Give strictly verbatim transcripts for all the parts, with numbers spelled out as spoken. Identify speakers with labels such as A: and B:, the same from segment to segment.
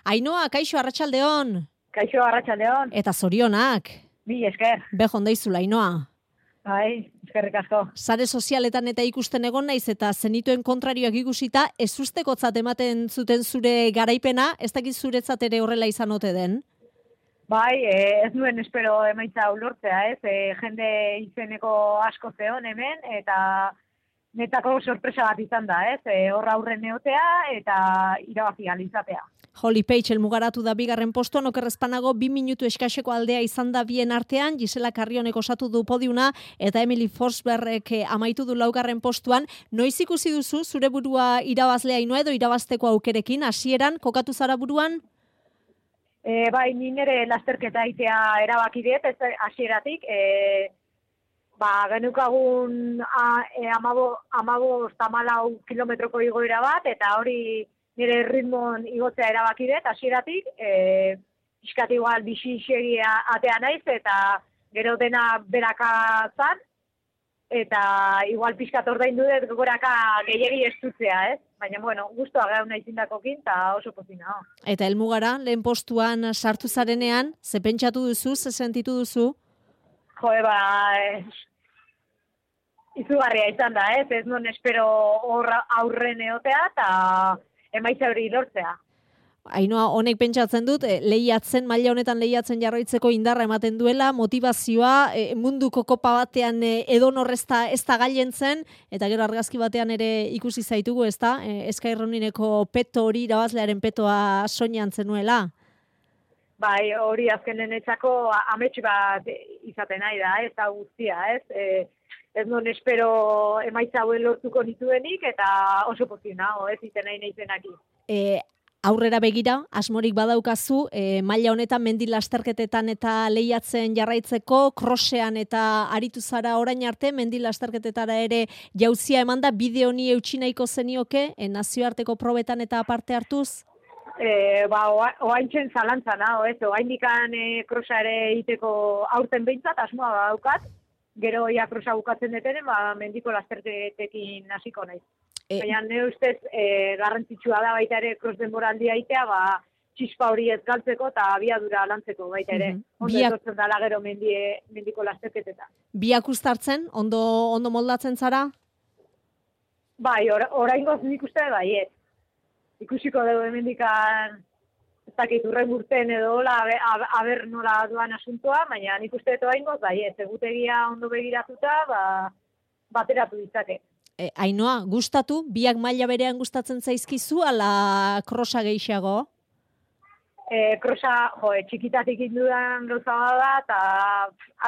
A: Ainhoa, kaixo, arratsaldeon.
B: Kaixo, arratsaldeon.
A: Eta zorionak.
B: Bi esker.
A: Bejon daizula, Ainhoa.
B: Bai, eskerrik asko.
A: Sare sozialetan eta ikusten egon naiz eta zenituen kontrarioak ikusita, ez ustekotzat ematen zuten zure garaipena, ez dakit zuretzat ere horrela izan ote den?
B: Bai, ez nuen espero emaitza ulortzea, ez? E, jende izeneko asko zeon hemen, eta netako sorpresa bat izan da, ez? E, horra aurren neotea eta irabazi izatea.
A: Holly Page elmugaratu da bigarren postuan, okerrezpanago bi minutu eskaseko aldea izan da bien artean, Gisela Carrionek osatu du podiuna, eta Emily Forsbergek amaitu du laugarren postuan. Noiz ikusi duzu zure burua irabazlea Ainhoa edo irabazteko aukerekin, hasieran kokatu zara buruan?
B: E, bai, ni nire lasterketa aitea erabaki diet, ez hasieratik, e, ba, genukagun e, amabo, amabo tamalau kilometroko igoera bat, eta hori nire ritmon igotzea erabaki dut, hasieratik, e, iskat igual bixi-xeri atea naiz, eta gero dena beraka zan, eta igual pixkat ordaindu dut goraka gehiegi estutzea, ez? Baina, bueno, guztua gau nahi zindakokin, eta oso pozina. Oh.
A: Eta helmugara, lehen postuan sartu zarenean, ze pentsatu duzu, ze sentitu duzu?
B: Jo, eba, eh, izugarria izan da, ez? Ez non espero horra aurren eotea, eta emaitza hori lortzea.
A: Ainhoa, honek pentsatzen dut, lehiatzen, maila honetan lehiatzen jarraitzeko indarra ematen duela, motivazioa, munduko kopa batean edon horrezta ez da gailentzen, eta gero argazki batean ere ikusi zaitugu, ez da? Sky Runnineko peto hori, irabazlearen petoa soinean zenuela.
B: Bai, hori azkenen etxako amets bat izaten nahi da, ez da guztia, ez? E, ez non espero emaitza hauen lortuko nituenik, eta oso pozina, ez iten nahi nahizenaki.
A: E, aurrera begira, asmorik badaukazu, e, maila honetan mendi lasterketetan eta lehiatzen jarraitzeko, crossean eta aritu zara orain arte, mendi lasterketetara ere jauzia eman da, bide honi eutsi nahiko zenioke, e, nazioarteko probetan eta aparte hartuz?
B: E, ba, oaintzen zalantzana, ez, oaindikan e, krosa ere iteko aurten behintzat, asmoa badaukat, gero ia krosa bukatzen detenen, ba, mendiko lasterketekin hasiko naiz. E, Baina, ne ustez, e, garrantzitsua da baita ere kros denboraldia itea, ba, txispa hori ez galtzeko eta abiadura lantzeko baita ere. Mm-hmm. Ondo Biak... etortzen dala gero mendie, mendiko lasterketetan.
A: Biak ustartzen? Ondo, ondo moldatzen zara?
B: Bai, or, oraingoz nik uste bai, ez. Ikusiko dugu hemendikan ez dakit urren urten edo hola, aber nola duan asuntoa, baina nik uste dut oraingoz bai, ez. Egutegia ondo begiratuta, ba, bateratu ditzake.
A: E, Ainhoa, gustatu? Biak maila berean gustatzen zaizkizu, ala krosa gehiago?
B: E, krosa, jo, e, txikitatik indudan gauza da, eta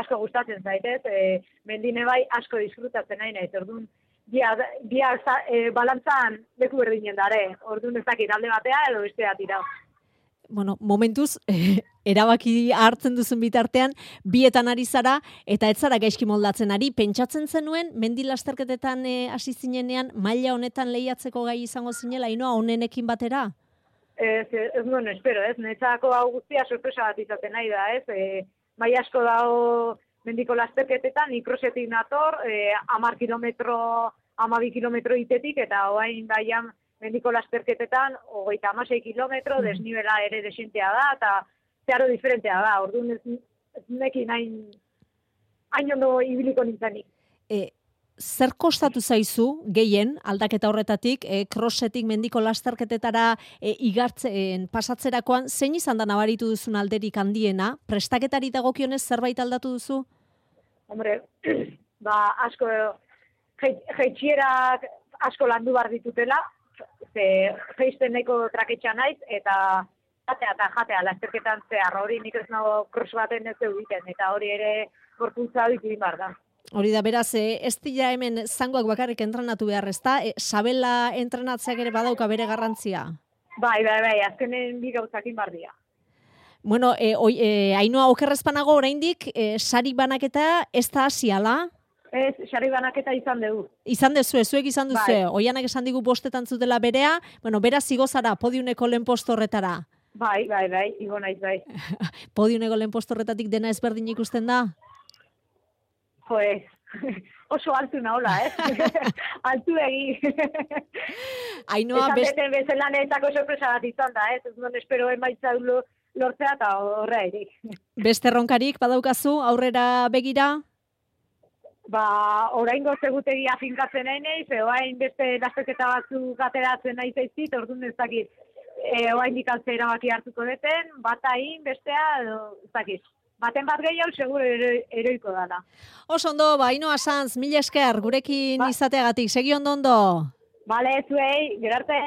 B: asko gustatzen zaitez. E, mendine bai asko disfrutatzen nahi nahi. Orduan, Bia, bia e, balantzan leku berdinen dare, orduan ez dakit alde batea edo bestea tira.
A: Bueno, momentuz, eh, erabaki hartzen duzun bitartean, bietan ari zara, eta ez zara gaizki moldatzen ari. Pentsatzen zenuen, mendi lasterketetan hasi eh, zinenean, maila honetan lehiatzeko gai izango zinela, Ainhoa, honenekin batera?
B: Ez, ez nuen espero, ez, netzako hau guztia sorpresa bat izaten nahi da, ez, e, bai asko dago mendiko lasterketetan, ikrosetik nator, e, amar kilometro, amabi kilometro itetik, eta oain baian mendiko lasterketetan, hogeita amasei kilometro, mm. desnibela ere desentea da, eta zeharo diferentea da, orduan ez, ez nekin hain, hain ondo ibiliko nintzenik.
A: E, zer kostatu zaizu, gehien, aldaketa horretatik, e, crossetik mendiko lasterketetara e, igartzen pasatzerakoan, zein izan da nabaritu duzun alderik handiena? Prestaketari dagokionez zerbait aldatu duzu?
B: Hombre, ba, asko, jeitxierak asko landu bar ditutela, ze jeisten nahiko traketxa naiz, eta jatea eta jatea lasterketan zehar, hori nik ez nago cross baten ez egiten, eta hori ere gorpuntza ditu bar da.
A: Hori da, beraz, ez dira hemen zangoak bakarrik entrenatu behar, ez da? E, sabela entrenatzeak ere badauka bere garrantzia?
B: Bai, bai, bai, azkenen bi gauzakin bardia.
A: Bueno, e, oi, e, Ainhoa, okerrezpanago oraindik, e, sari banaketa ez da hasiala?
B: Ez, sari banaketa izan dugu.
A: Izan dezu, zuek izan duzu, bai. Oianak esan digu bostetan zutela berea, bueno, beraz igo zara podiuneko lehen posto horretara.
B: Bai, bai, bai, igo naiz, bai.
A: Podiuneko lehen posto horretatik dena ezberdin ikusten da?
B: Pues, oso altu nahola, ez? Altu egi.
A: Ainhoa,
B: Esan
A: best...
B: beten bezala netzako sorpresa bat izan da, ez? Ez non espero emaitza lortzea eta horra ere.
A: Beste erronkarik badaukazu aurrera begira?
B: Ba, orain gozegutegia finkatzen nahi nahi, ze orain beste lasterketa batzuk ateratzen nahi zaizkit, orduan ez dakit. E, orain dikantze erabaki hartuko deten, bata egin, bestea, edo, ez dakit. Baten bat gehiago, seguro ero, eroiko dala.
A: Oso ondo, ba, Ainhoa Sanz, mila esker, gurekin
B: ba.
A: izateagatik, segi ondo ondo.
B: Bale, zuei, gerarte.